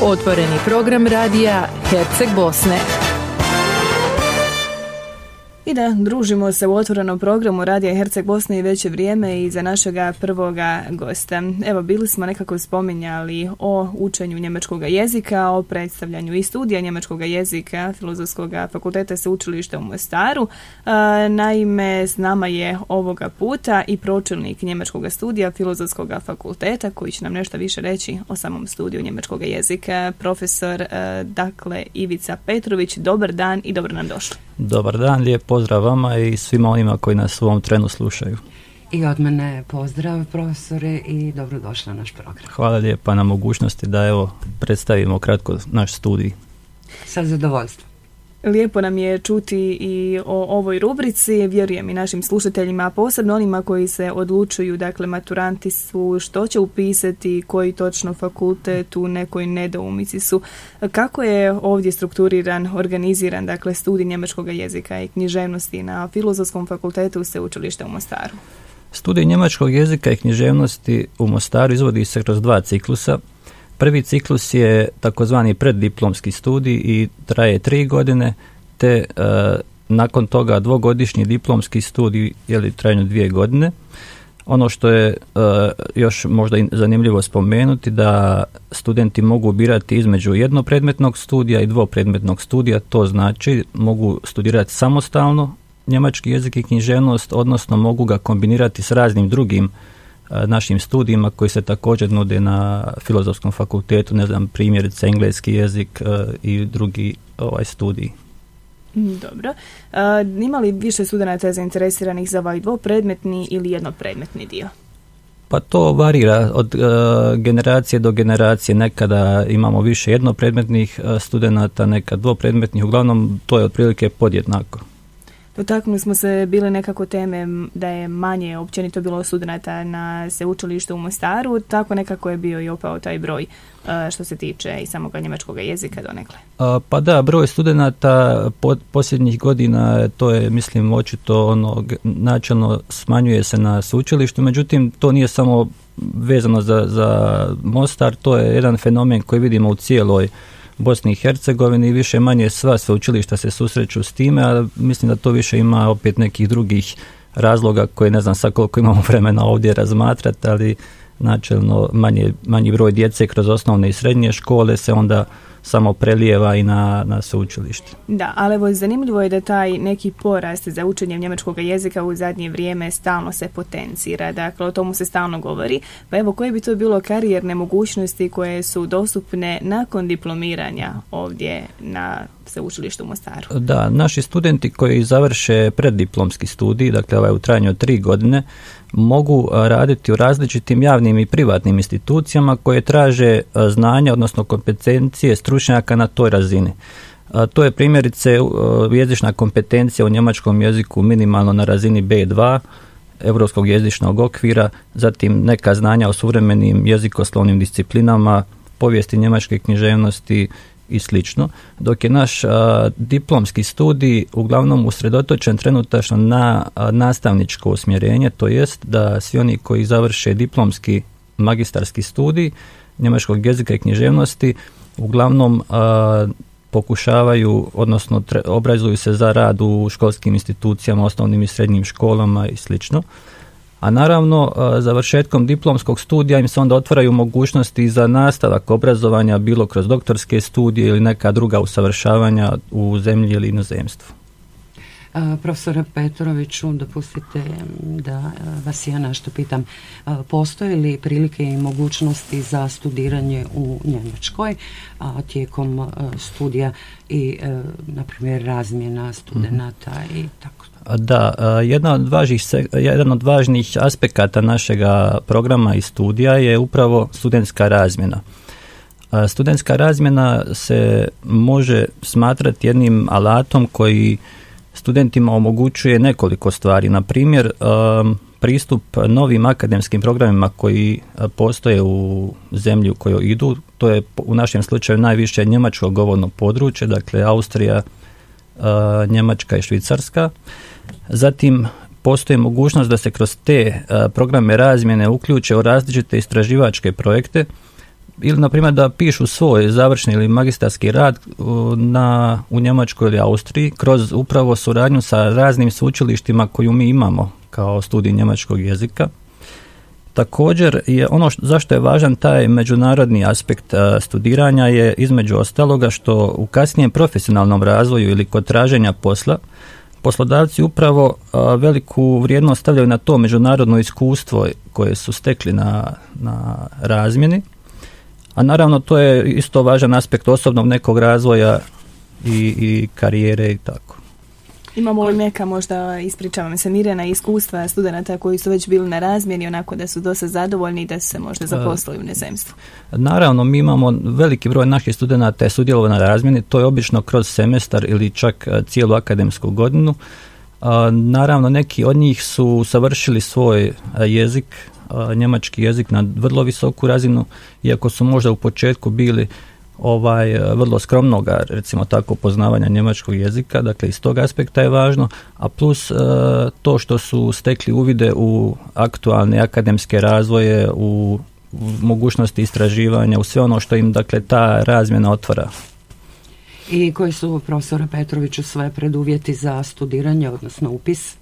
Otvoreni program radija Herceg Bosne. I da, družimo se u otvorenom programu Radija Herceg Bosne i već je vrijeme i za našega prvoga gosta. Evo, bili smo nekako spominjali o učenju njemačkog jezika, o predstavljanju i studija njemačkog jezika Filozofskog fakulteta Sveučilišta u Mostaru. Naime, s nama je ovoga puta i pročelnik njemačkog studija Filozofskog fakulteta koji će nam nešto više reći o samom studiju njemačkog jezika. Profesor, dakle, Ivica Petrović, dobar dan i dobro nam došli. Dobar dan, lijep pozdrav vama i svima onima koji nas u ovom trenu slušaju. I od mene pozdrav, profesore, i dobrodošli na naš program. Hvala lijepa na mogućnosti da evo predstavimo kratko naš studij. Sa zadovoljstvom. Lijepo nam je čuti i o ovoj rubrici, vjerujem i našim slušateljima, a posebno onima koji se odlučuju, dakle maturanti su, što će upisati, koji točno fakultet, u nekoj nedoumici su. Kako je ovdje strukturiran, organiziran, dakle, studij njemačkog jezika i književnosti na Filozofskom fakultetu Sveučilišta u Mostaru? Studij njemačkog jezika i književnosti u Mostaru izvodi se kroz 2 ciklusa. Prvi ciklus je takozvani preddiplomski studij i traje 3 godine, te nakon toga 2-godišnji diplomski studij je trajanju 2 godine. Ono što je još možda zanimljivo spomenuti, da studenti mogu birati između jednopredmetnog studija i 2-predmetnog studija, to znači mogu studirati samostalno njemački jezik i književnost, odnosno mogu ga kombinirati s raznim drugim našim studijima koji se također nude na Filozofskom fakultetu, ne znam, primjerice engleski jezik i drugi studiji. Dobro. Ima li više studenata zainteresiranih za ovaj 2-predmetni ili jednopredmetni dio? Pa to varira od generacije do generacije. Nekada imamo više jednopredmetnih studenata, nekad 2-predmetnih, uglavnom to je otprilike podjednako. Dotaknuli smo se bile nekako teme da je manje općenito bilo studenata na sveučilištu u Mostaru, tako nekako je bio i opao taj broj što se tiče i samog njemačkog jezika donekle. Pa da, broj studenata posljednjih godina, to je, mislim, očito načelno smanjuje se na sveučilištu, međutim to nije samo vezano za Mostar, to je jedan fenomen koji vidimo u cijeloj Bosni i Hercegovini i više manje sva sveučilišta se susreću s time, a mislim da to više ima opet nekih drugih razloga koje ne znam sad koliko imamo vremena ovdje razmatrati, ali načelno manji broj djece kroz osnovne i srednje škole se onda samo prelijeva i na sveučilište. Da, ali evo, zanimljivo je da taj neki porast za učenje njemačkog jezika u zadnje vrijeme stalno se potencira, dakle o tomu se stalno govori, pa evo, koje bi to bilo karijerne mogućnosti koje su dostupne nakon diplomiranja ovdje na sveučilištu u Mostaru? Da, naši studenti koji završe preddiplomski studij, dakle ovaj u trajanju od 3 godine, mogu raditi u različitim javnim i privatnim institucijama koje traže znanja, odnosno kompetencije stručnjaka na toj razini. To je primjerice jezična kompetencija u njemačkom jeziku minimalno na razini B2, Europskog jezičnog okvira, zatim neka znanja o suvremenim jezikoslovnim disciplinama, povijesti njemačke književnosti i slično, dok je naš diplomski studij uglavnom usredotočen trenutačno na nastavničko usmjerenje, to jest da svi oni koji završe diplomski magistarski studij njemačkog jezika i književnosti uglavnom pokušavaju, odnosno obrazuju se za rad u školskim institucijama, osnovnim i srednjim školama i slično. A naravno, završetkom diplomskog studija im se onda otvaraju mogućnosti za nastavak obrazovanja, bilo kroz doktorske studije ili neka druga usavršavanja u zemlji ili inozemstvu. Profesore Petroviću, dopustite da vas ja nešto pitam. Postoje li prilike i mogućnosti za studiranje u Njemačkoj tijekom studija i, na primjer, razmjena studenata i tako? Da, jedan od važnih aspekata našega programa i studija je upravo studentska razmjena. Studentska razmjena se može smatrati jednim alatom koji studentima omogućuje nekoliko stvari. Na primjer, pristup novim akademskim programima koji postoje u zemlji u kojoj idu. To je u našem slučaju najviše njemačko govorno područje, dakle Austrija, Njemačka i Švicarska. Zatim postoji mogućnost da se kroz te programe razmjene uključe u različite istraživačke projekte. ili na primjer da pišu svoj završni ili magistarski rad u Njemačkoj ili Austriji kroz upravo suradnju sa raznim sveučilištima koju mi imamo kao studij njemačkog jezika. Također je zašto je važan taj međunarodni aspekt studiranja je između ostaloga što u kasnijem profesionalnom razvoju ili kod traženja posla poslodavci upravo veliku vrijednost stavljaju na to međunarodno iskustvo koje su stekli na razmjeni, a naravno to je isto važan aspekt osobnog nekog razvoja i karijere i tako. Imamo li neka možda, ispričavam se, Mirjana, iskustva studenata koji su već bili na razmjeni, onako da su dosta zadovoljni i da su se možda zaposlili u inozemstvu? Naravno, mi imamo veliki broj naših studenata je sudjelovao na razmjeni, to je obično kroz semestar ili čak cijelu akademsku godinu. Naravno, neki od njih su savršili svoj jezik, njemački jezik na vrlo visoku razinu, iako su možda u početku bili vrlo skromnoga, recimo tako, poznavanja njemačkog jezika, dakle iz tog aspekta je važno, a plus to što su stekli uvide u aktualne akademske razvoje, u mogućnosti istraživanja, u sve ono što im, dakle, ta razmjena otvara. I koji su, profesore Petroviću, sve preduvjeti za studiranje, odnosno upis?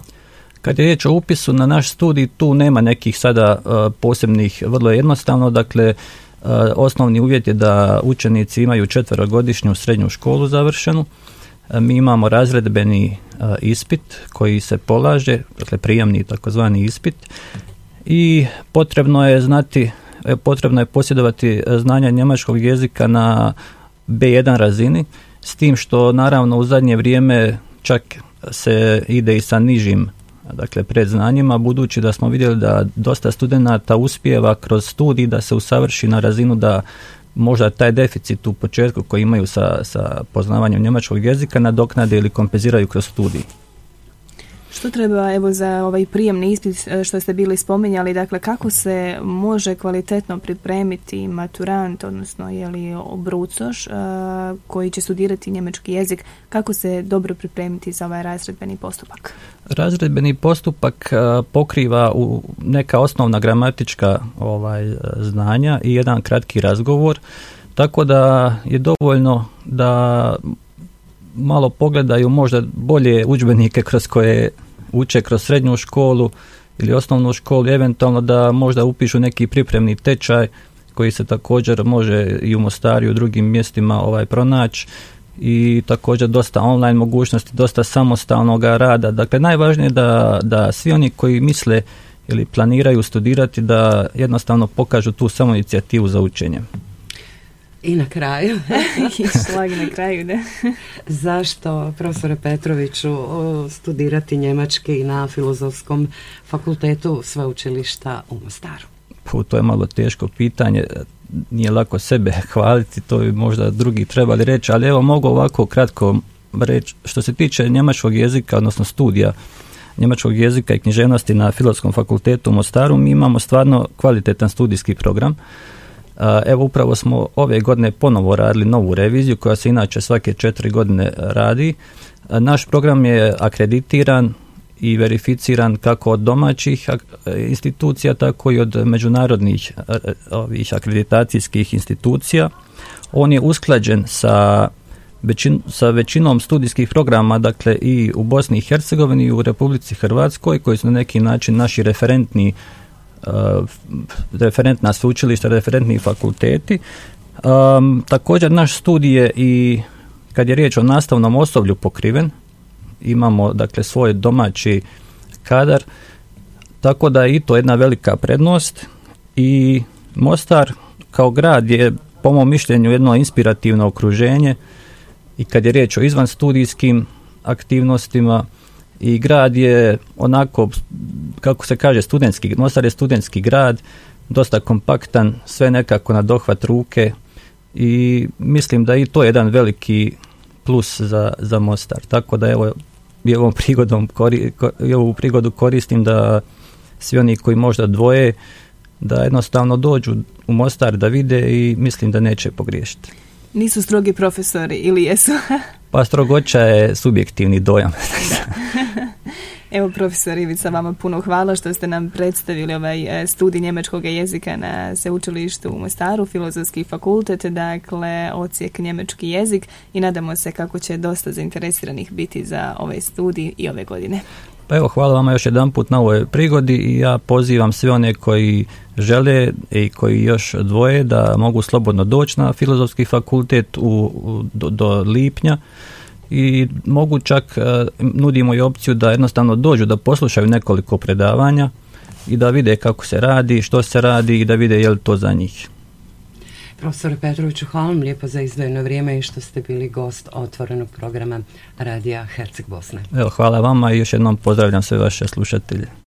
Kad je riječ o upisu na naš studij, tu nema nekih sada posebnih, vrlo jednostavno, dakle, osnovni uvjet je da učenici imaju 4-godišnju srednju školu završenu. Mi imamo razredbeni ispit koji se polaže, dakle prijemni takozvani ispit, i potrebno je posjedovati znanja njemačkog jezika na B1 razini, s tim što naravno u zadnje vrijeme čak se ide i sa nižim, dakle, predznanjima, budući da smo vidjeli da dosta studenata uspijeva kroz studij da se usavrši na razinu da možda taj deficit u početku koji imaju sa poznavanjem njemačkog jezika nadoknade ili kompenziraju kroz studij. Što treba, evo, za ovaj prijemni ispit što ste bili spominjali, dakle, kako se može kvalitetno pripremiti maturant, odnosno brucoš koji će studirati njemački jezik, kako se dobro pripremiti za ovaj razredbeni postupak? Razredbeni postupak pokriva neka osnovna gramatička znanja i jedan kratki razgovor, tako da je dovoljno da malo pogledaju možda bolje udžbenike kroz koje uče kroz srednju školu ili osnovnu školu, eventualno da možda upišu neki pripremni tečaj koji se također može i u Mostaru i u drugim mjestima pronaći, i također dosta online mogućnosti, dosta samostalnog rada. Dakle, najvažnije je da svi oni koji misle ili planiraju studirati da jednostavno pokažu tu samoinicijativu za učenje. I na kraju. Šlag na kraju, da. Zašto, profesore Petroviću, studirati njemački na Filozofskom fakultetu sveučilišta u Mostaru? To je malo teško pitanje. Nije lako sebe hvaliti, to bi možda drugi trebali reći, ali evo mogu ovako kratko reći. Što se tiče njemačkog jezika, odnosno studija njemačkog jezika i književnosti na Filozofskom fakultetu u Mostaru, mi imamo stvarno kvalitetan studijski program. Evo, upravo smo ove godine ponovo radili novu reviziju koja se inače svake 4 godine radi. Naš program je akreditiran i verificiran kako od domaćih institucija, tako i od međunarodnih akreditacijskih institucija. On je usklađen sa većinom studijskih programa, dakle i u Bosni i Hercegovini i u Republici Hrvatskoj, koji su na neki način naši referentna sveučilišta, referentni fakulteti. Također naš studij je i kad je riječ o nastavnom osoblju pokriven, imamo dakle svoj domaći kadar, tako da je i to jedna velika prednost. I Mostar kao grad je po mom mišljenju jedno inspirativno okruženje i kad je riječ o izvanstudijskim aktivnostima, i grad je onako, kako se kaže, studentski. Mostar je studentski grad, dosta kompaktan, sve nekako na dohvat ruke, i mislim da i to je jedan veliki plus za Mostar. Tako da evo, ovu prigodu koristim da svi oni koji možda dvoje, da jednostavno dođu u Mostar da vide, i mislim da neće pogriješiti. Nisu strogi profesori, ili jesu? Pa strogoća je subjektivni dojam. Evo, profesor Ivica, vama puno hvala što ste nam predstavili ovaj studij njemačkog jezika na Sveučilištu u Mostaru, Filozofski fakultet, dakle odsjek njemački jezik, i nadamo se kako će dosta zainteresiranih biti za ovaj studij i ove godine. Pa evo, hvala vama još jedanput na ovoj prigodi i ja pozivam sve one koji žele i koji još dvoje da mogu slobodno doći na Filozofski fakultet do lipnja i mogu čak, nudimo i opciju da jednostavno dođu da poslušaju nekoliko predavanja i da vide kako se radi, što se radi i da vide je li to za njih. Profesore Petroviću, hvala vam lijepo za izdvojeno vrijeme i što ste bili gost otvorenog programa Radija Herceg Bosne. Evo, hvala vama i još jednom pozdravljam sve vaše slušatelje.